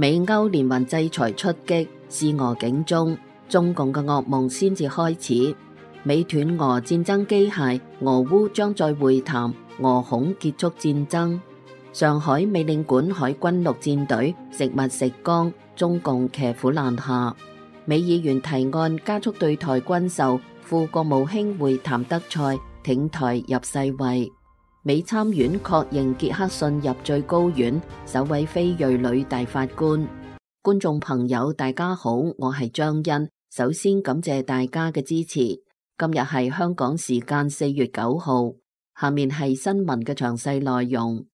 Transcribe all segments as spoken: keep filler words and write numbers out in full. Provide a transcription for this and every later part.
美歐連環制裁出擊，示俄警鐘，中共嘅噩夢先至開始。美斷俄戰爭機械，俄烏將再會談，俄恐結束戰爭。上海美領館海軍陸戰隊食物食光，中共騎虎難下。美議員提案加速對台軍售，副國務卿會談德賽，挺台入世衛。美參院確認傑克遜入最高院，首位非裔女大法官。觀眾朋友大家好，我係張欣，首先感謝大家嘅支持。今日係香港時間四月九號，下面係新聞嘅詳細內容。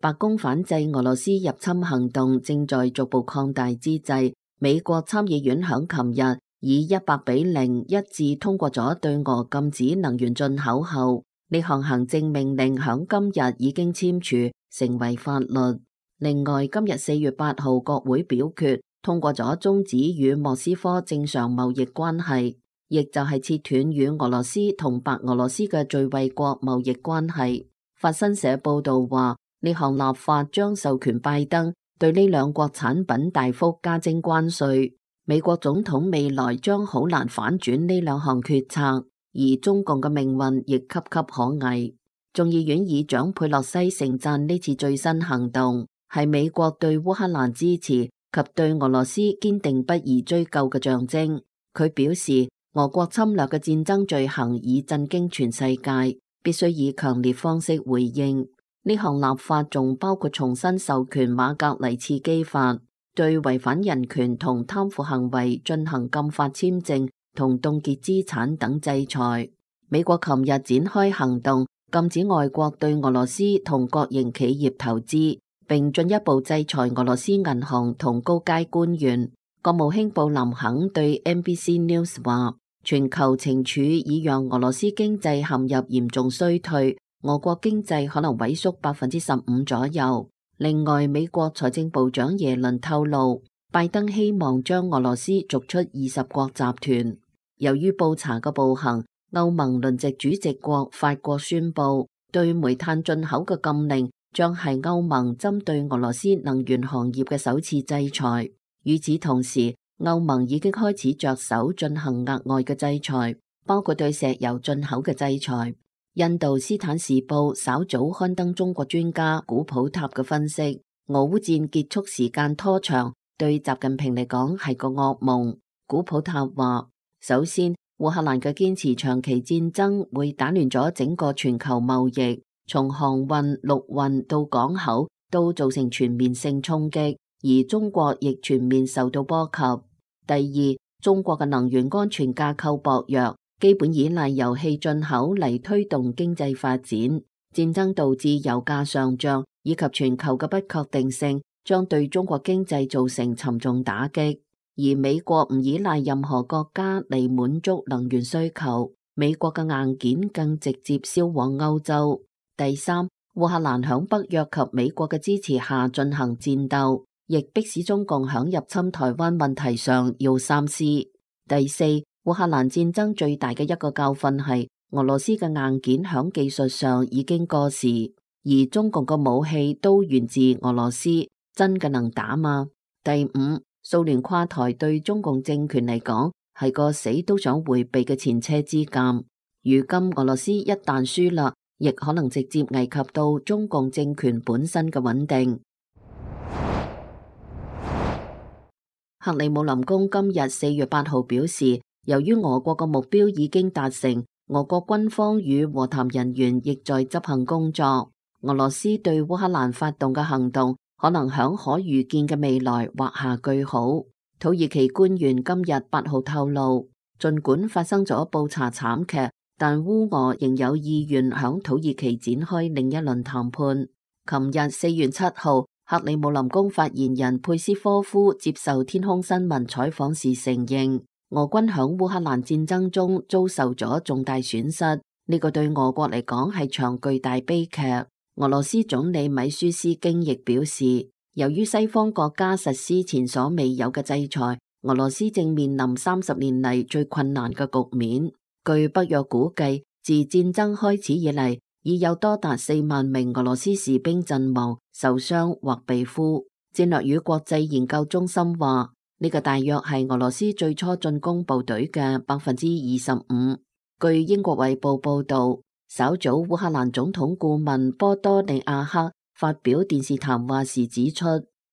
白宮反制俄羅斯入侵行動正在逐步擴大之際，美國參議院響琴日以一百比零一致通過咗對俄禁止能源進口後，呢項行政命令響今日已經簽署成為法律。另外，今日四月八號國會表決通過咗終止與莫斯科正常貿易關係，亦就係切斷與俄羅斯同白俄羅斯嘅最惠國貿易關係。法新社報道話，呢項立法將授權拜登對呢兩國產品大幅加徵關稅。美國總統未來將好難反轉呢兩項決策，而中共嘅命運亦岌岌可危。眾議院議長佩洛西盛讚呢次最新行動係美國對烏克蘭支持及對俄羅斯堅定不移追究嘅象徵。佢表示，俄國侵略嘅戰爭罪行已震驚全世界，必須以強烈方式回應。呢項立法仲包括重新授權馬格尼茨基法，對違反人權同貪腐行為進行禁法簽證同凍結資產等制裁。美國琴日展開行動，禁止外國對俄羅斯同國營企業投資，並進一步制裁俄羅斯銀行同高階官員。國務卿布林肯對 N B C News 話，全球懲處已讓俄羅斯經濟陷入嚴重衰退，俄國經濟可能萎縮百分之十五左右。另外，美國財政部長耶倫透露，拜登希望將俄羅斯逐出二十國集團。由於布查嘅暴行，歐盟輪值主席國法國宣布，對煤炭進口嘅禁令將係歐盟針對俄羅斯能源行業嘅首次制裁。與此同時，歐盟已經開始着手進行額外嘅制裁，包括對石油進口嘅制裁。印度斯坦時報稍早刊登中國專家古普塔嘅分析，俄烏戰結束時間拖長，對習近平嚟講係個噩夢。古普塔話，首先，烏克蘭嘅堅持長期戰爭會打亂咗整個全球貿易，從航運、陸運到港口都造成全面性衝擊，而中國亦全面受到波及。第二，中國嘅能源安全架構薄弱，基本依賴油氣進口嚟推動經濟發展。戰爭導致油價上漲以及全球嘅不確定性，將對中國經濟造成沉重打擊。而美國唔依賴任何國家嚟滿足能源需求，美國嘅硬件更直接銷往歐洲。第三，烏克蘭響北約及美國嘅支持下進行戰鬥，亦迫使中共響入侵台灣問題上要三思。第四，烏克蘭戰爭最大嘅一個教訓係俄羅斯嘅硬件響技術上已經過時，而中共嘅武器都源自俄羅斯，真嘅能打嗎？第五，蘇聯垮台對中共政權嚟講係個死都想回避嘅前車之鑑。如今俄羅斯一旦輸啦，亦可能直接危及到中共政權本身嘅穩定。克里姆林宮今日四月八號表示，由於俄國嘅目標已經達成，俄國軍方與和談人員亦在執行工作。俄羅斯對烏克蘭發動嘅行動可能響可預見嘅未來畫下句號。土耳其官員今日八號透露，儘管發生咗布查慘劇，但烏俄仍有意願響土耳其展開另一輪談判。琴日四月七號，克里姆林宮發言人佩斯科夫接受天空新聞採訪時承認，俄軍響烏克蘭戰爭中遭受咗重大損失，呢、這個對俄國嚟講係場巨大悲劇。俄羅斯總理米舒斯京亦表示，由於西方國家實施前所未有嘅制裁，俄羅斯正面臨三十年嚟最困難嘅局面。據北約估計，自戰爭開始以嚟，已有多達四萬名俄羅斯士兵陣亡、受傷或被俘。戰略與國際研究中心話，呢個大約係俄羅斯最初進攻部隊嘅百分之二十五。據英國衛報報道，稍早烏克蘭總統顧問波多利亞克發表電視談話時指出，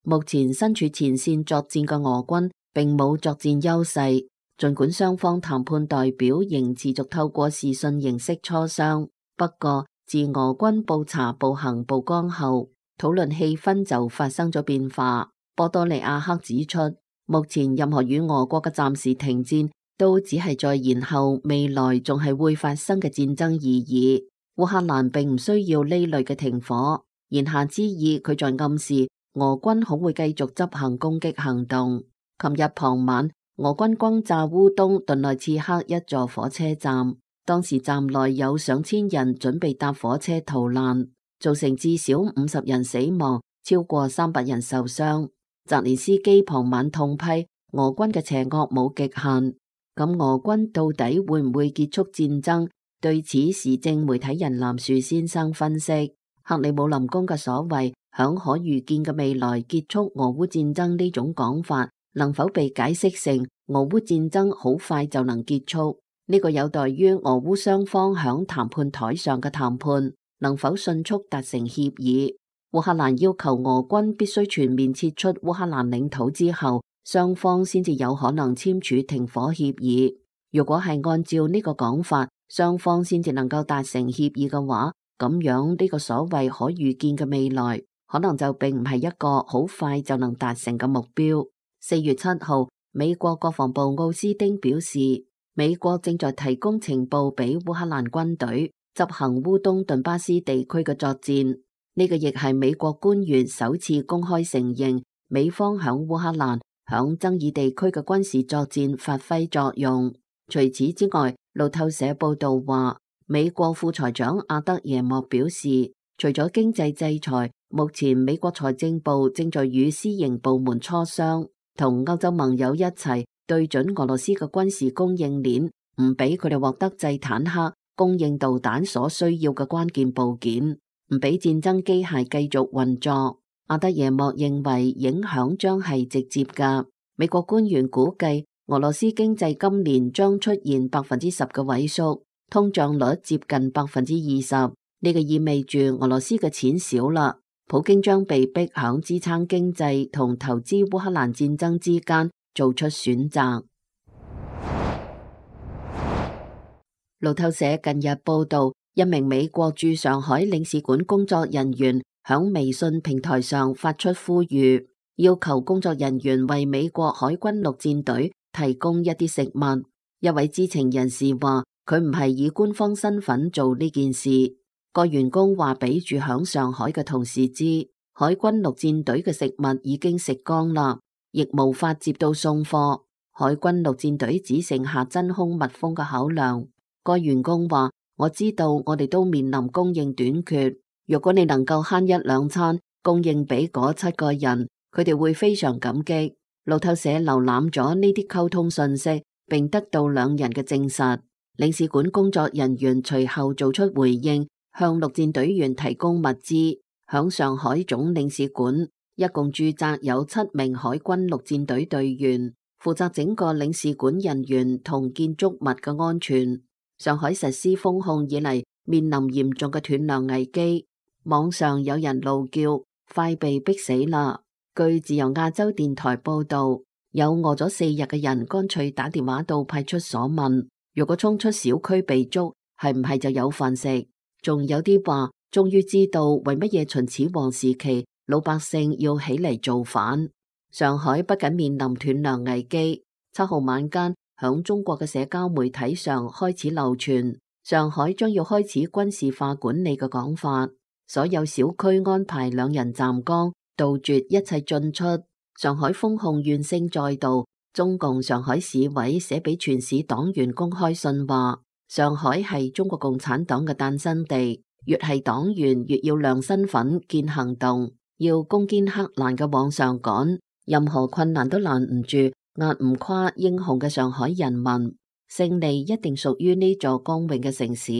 目前身處前線作戰嘅俄軍並冇作戰優勢，儘管雙方談判代表仍持續透過視訊形式磋商，不過自俄軍布查步行曝光後，討論氣氛就發生咗變化。波多利亞克指出，目前任何與俄國嘅暫時停戰都只係在延後未來仲係會發生嘅戰爭而已。烏克蘭並唔需要呢類嘅停火，言下之意佢在暗示俄軍可會繼續執行攻擊行動。琴日傍晚，俄軍轟炸烏東頓內茨克一座火車站，當時站內有上千人準備搭火車逃難，造成至少五十人死亡，超過三百人受傷。澤連斯基傍晚痛批俄軍嘅邪惡冇極限。咁俄軍到底會唔會結束戰爭？對此，時政媒體人藍樹先生分析，克里姆林宮嘅所謂響可預見嘅未來結束俄烏戰爭呢種講法，能否被解釋成俄烏戰爭好快就能結束？呢個有待於俄烏雙方響談判台上嘅談判能否迅速達成協議。烏克蘭要求俄軍必須全面撤出烏克蘭領土之後，雙方先至有可能簽署停火協議。如果係按照呢個講法，雙方先至能夠達成協議嘅話，咁樣呢個所謂可預見嘅未來，可能就並唔係一個好快就能達成嘅目標。四月七號，美國國防部奧斯丁表示，美國正在提供情報俾烏克蘭軍隊執行烏東頓巴斯地區嘅作戰。呢個亦係美國官員首次公開承認美方響烏克蘭響爭議地區嘅軍事作戰發揮作用。除此之外，路透社報道話，美國副財長阿德耶莫表示，除咗經濟制裁，目前美國財政部正在與私營部門磋商，同歐洲盟友一齊對準俄羅斯嘅軍事供應鏈，唔俾佢哋獲得製坦克、供應導彈所需要嘅關鍵部件，唔俾戰爭機械繼續運作。阿德耶莫認為影響將係直接㗎。美國官員估計，俄羅斯經濟今年將出現百分之十嘅萎縮，通脹率接近百分之二十。呢個意味住俄羅斯嘅錢少啦，普京將被逼響支撐經濟同投資烏克蘭戰爭之間做出選擇。路透社近日報道，一名美國駐上海領事館工作人員響微信平台上發出呼籲，要求工作人員為美國海軍陸戰隊提供一啲食物。一位知情人士話，佢唔係以官方身份做呢件事。個員工話俾住響上海嘅同事知，海軍陸戰隊嘅食物已經食光啦，亦無法接到送貨。海軍陸戰隊只剩下真空密封嘅口糧。個員工話，我知道我哋都面臨供應短缺，如果你能夠慳一兩餐供應俾嗰七個人，佢哋會非常感激。路透社瀏覽咗呢啲溝通信息，並得到兩人嘅證實。領事館工作人員隨後做出回應，向陸戰隊員提供物資。響上海總領事館，一共駐紮有七名海軍陸戰隊隊員，負責整個領事館人員同建築物嘅安全。上海實施封控以嚟，面臨嚴重嘅斷糧危機。網上有人怒叫，快被逼死啦！據自由亞洲電台報道，有餓咗四日嘅人乾脆打電話到派出所問，如果衝出小區被捉，係唔係就有飯食？仲有啲話，終於知道為乜嘢秦始皇時期老百姓要起嚟造反。上海不僅面臨斷糧危機，七號晚間，響中國嘅社交媒體上開始流傳上海將要開始軍事化管理嘅講法，所有小區安排兩人站崗，杜絕一切進出。上海封控怨聲載道，中共上海市委寫俾全市黨員公開信話，上海係中國共產黨嘅誕生地，越係黨員越要亮身份見行動，要攻堅克難嘅往上趕，任何困難都攔唔住壓唔垮英雄嘅上海人民，勝利一定屬於呢座光榮嘅城市。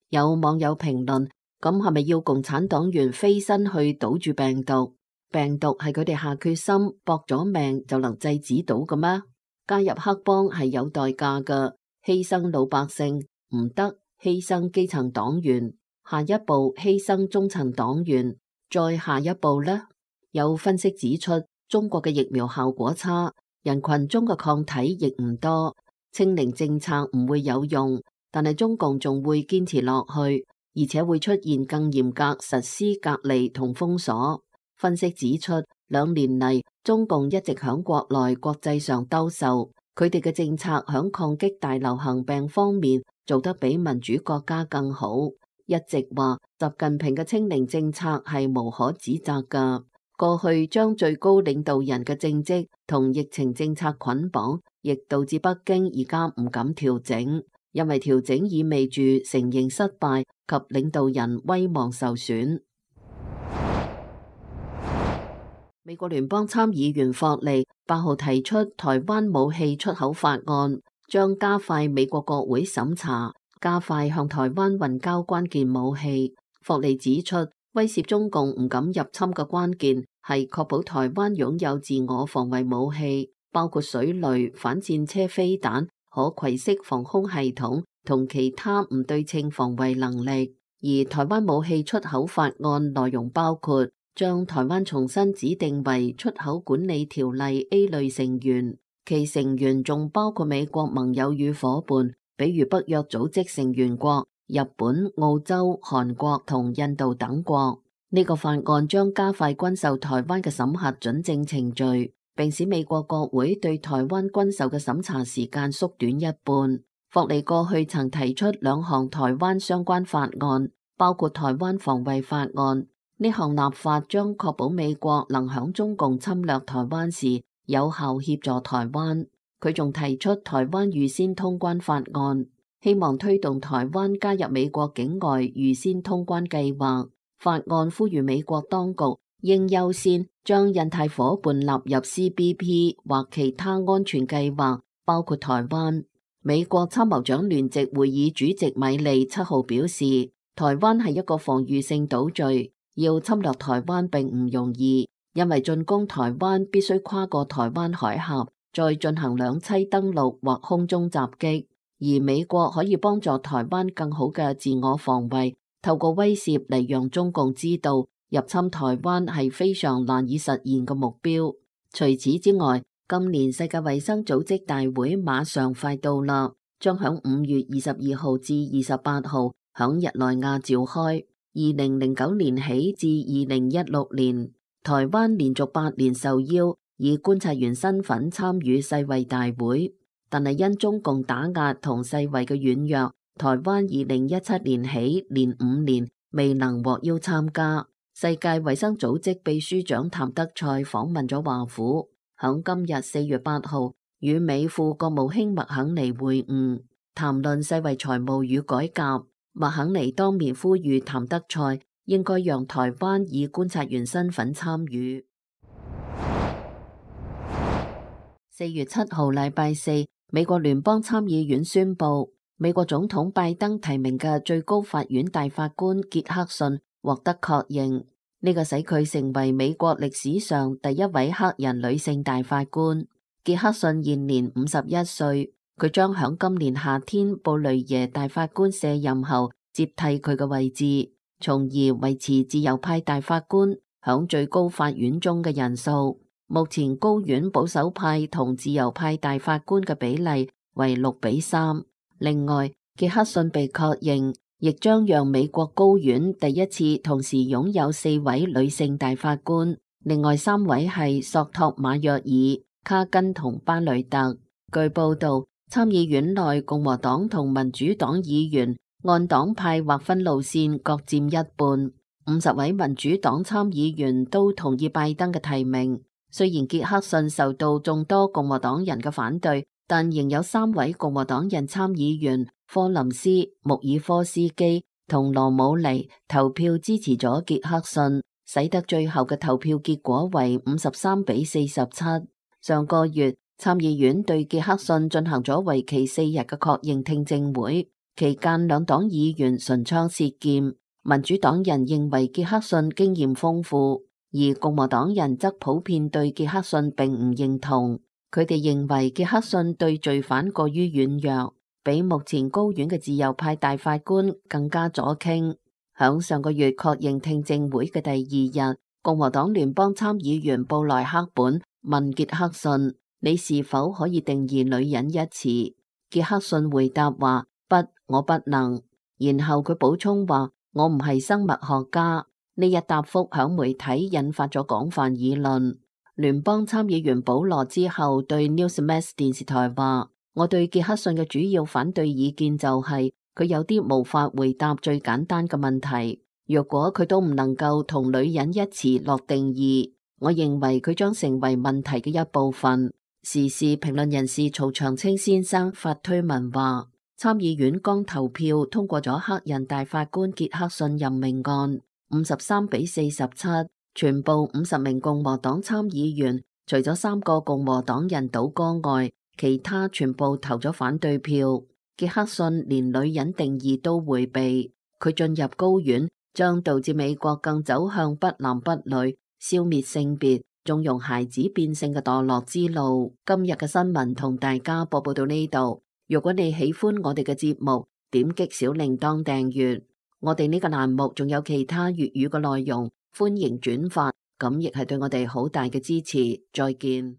有網友評論，咁係咪要共產黨員飛身去堵住病毒？病毒係佢哋下決心搏咗命就能制止到嘅咩？加入黑幫係有代價嘅，犧牲老百姓唔得，犧牲基層黨員，下一步犧牲中層黨員，再下一步呢？有分析指出，中國嘅疫苗效果差，人群中嘅抗體亦唔多，清零政策唔會有用，但係中共仲會堅持落去，而且會出現更嚴格實施隔離同封鎖。分析指出，兩年嚟中共一直響國內國際上兜售，佢哋嘅政策響抗擊大流行病方面做得比民主國家更好。一直話習近平嘅清零政策係無可指責㗎。過去將最高領導人嘅政績同疫情政策捆綁，亦導致北京而家唔敢調整，因為調整意味住承認失敗及領導人威望受損。美國聯邦參議員霍利八號提出台灣武器出口法案，將加快美國國會審查，加快向台灣運交關鍵武器。霍利指出，威懾中共唔敢入侵嘅關鍵係確保台灣擁有自我防衛武器，包括水雷、反戰車飛彈、可攜式防空系統同其他唔對稱防衛能力。而台灣武器出口法案內容包括將台灣重新指定為出口管理條例 A 類成員，其成員仲包括美國盟友與夥伴，比如北約組織成員國日本、澳洲、韓國同印度等國。呢個法案將加快軍售台灣嘅審核准證程序，並使美國國會對台灣軍售嘅審查時間縮短一半。霍利過去曾提出兩項台灣相關法案，包括台灣防衛法案。呢項立法將確保美國能響中共侵略台灣時有效協助台灣。佢仲提出台灣預先通關法案，希望推動台灣加入美國境外預先通關計劃。法案呼籲美國當局應優先將印太夥伴納入 C B P 或其他安全計劃，包括台灣。美國參謀長聯席會議主席米利七號表示，台灣係一個防禦性島嶼。要侵略台灣並唔容易，因為進攻台灣必須跨過台灣海峽，再進行兩棲登陸或空中襲擊。而美國可以幫助台灣更好嘅自我防衛，透過威懾嚟讓中共知道入侵台灣係非常難以實現嘅目標。除此之外，今年世界衛生組織大會馬上快到啦，將響五月二十二號至二十八號響日內瓦召開。二零零九年起至二零一六年，台灣連續八年受邀以觀察員身份參與世衛大會，但係因中共打壓同世衛嘅軟弱，台灣二零一七年起連五年未能獲邀參加。世界衛生組織秘書長譚德塞訪問咗華府，響今日四月八號與美副國務卿麥肯尼會晤，談論世衛財務與改革。麥肯尼當面呼籲譚德塞應該讓台灣以觀察員身份參與。四月七號禮拜四，美國聯邦參議院宣布，美國總統拜登提名嘅最高法院大法官傑克遜獲得確認，呢個使佢成為美國歷史上第一位黑人女性大法官。傑克遜現年五十一歲。佢將響今年夏天布雷耶大法官卸任後接替佢嘅位置，從而維持自由派大法官響最高法院中嘅人數。目前高院保守派同自由派大法官嘅比例為六比三。另外，傑克遜被確認，亦將讓美國高院第一次同時擁有四位女性大法官，另外三位係索托馬約爾、卡根同巴雷特。據報道，參議院內共和黨同民主黨議員按黨派劃分路線各佔一半，五十位民主黨參議員都同意拜登嘅提名。雖然傑克遜受到眾多共和黨人嘅反對，但仍有三位共和黨人參議員科林斯、穆爾科斯基同羅姆尼投票支持咗傑克遜，使得最後嘅投票結果為五十三比四十七。上個月，參議院對傑克遜進行咗為期四日嘅確認聽證會，期間兩黨議員唇槍舌劍。民主黨人認為傑克遜經驗豐富，而共和黨人則普遍對傑克遜並唔認同。佢哋認為傑克遜對罪犯過於軟弱，比目前高院嘅自由派大法官更加左傾。響上個月確認聽證會嘅第二日，共和黨聯邦參議員布萊克本問傑克遜：你是否可以定義女人一詞？傑克遜回答話：不，我不能。然後佢補充話：我唔係生物學家。呢一答覆響媒體引發咗廣泛議論。聯邦參議員保羅之後對 Newsmax 電視台話：我對傑克遜嘅主要反對意見就係佢有啲無法回答最簡單嘅問題。若果佢都唔能夠同女人一詞落定義，我認為佢將成為問題嘅一部分。時事評論人士曹長青先生發推文話：參議院剛投票通過咗黑人大法官傑克遜任命案，五十三比四十七，全部五十名共和黨參議員，除咗三個共和黨人倒戈外，其他全部投咗反對票。傑克遜連女人定義都迴避，佢進入高院將導致美國更走向不男不女、消滅性別、縱容孩子變性嘅墮落之路。今日嘅新聞同大家播報到呢度。如果你喜歡我哋嘅節目，點擊小鈴鐺訂閱。我哋呢個欄目仲有其他粵語嘅內容，歡迎轉發，咁亦係對我哋好大嘅支持。再見。